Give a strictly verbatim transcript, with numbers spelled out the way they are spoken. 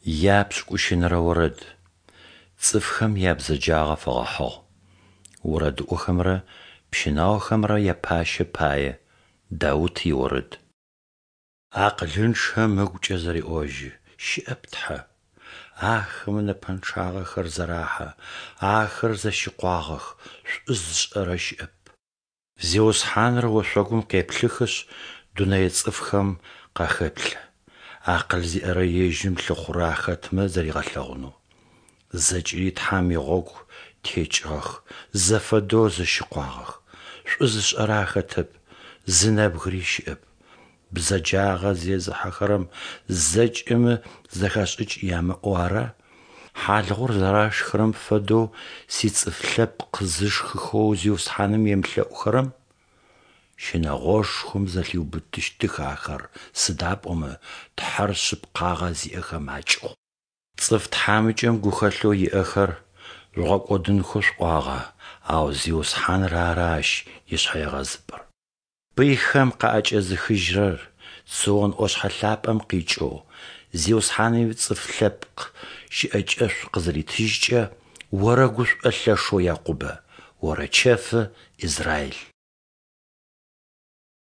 Япшӏыкӏущэнэрэ орэд. Цӏыфхэм ябзэджагъэ фэгъэхьыгъ. Орэдыӏохэмрэ пщынаохэмрэ япащэ пае. Даут иорэд. Акъылынчъэм ыгукӏэ зэреӏожьы: «Щыӏэп Тхьэ». Ахэмэ нэпэнчъагъэхэр зэрахьэ, ахэр зэщыкъуагъэх, шӏу зышӏэрэ щыӏэп. Зиусхьаныр ошъогум къеплъыхышъ, дунэе цӏыфхэм къахэплъэ, акъыл зиӏэрэ Ежьым лъыхъурэ ахэтмэ зэригъэлъэгъунэу. Зэкӏэри Тхьэм игъогу текӏыгъэх, зэфэдэу зэщыкъуагъэх. Шӏу зышӏэрэ ахэтэп, зы нэбгыри щыӏэп. Бзэджагъэ зезыхьэхэрэм зэкӏэмэ зэхэшӏыкӏ ямыӏэу ара? Хьалыгъур зэрашхырэм фэдэу сицӏыф лъэпкъ зышхыхэу Зиусхьаным емылъэӏухэрэм? Щынэгъошхом зэлъиубытыщтых ахэр, сыда пӏомэ Тхьэр шъыпкъагъэ зиӏэхэм акӏыгъу. Цӏыф тхьамыкӏэм гухэлъэу иӏэхэр жъугъэкӏодынхэу шъуӏуагъэ, ау Зиусхьаныр ары ащ ишъхьэегъэзыпӏэр. Пыйхэм къаӏэкӏэзыхыжьырэр Цион ӏошъхьэ лъапӏэм къикӏэу, Зиусхьаным ицӏыф лъэпкъ щыӏэкӏэшӏу къызыритыжькӏэ, орэгушӏо лъэшэу Якъубэ, орэчэфы Израил.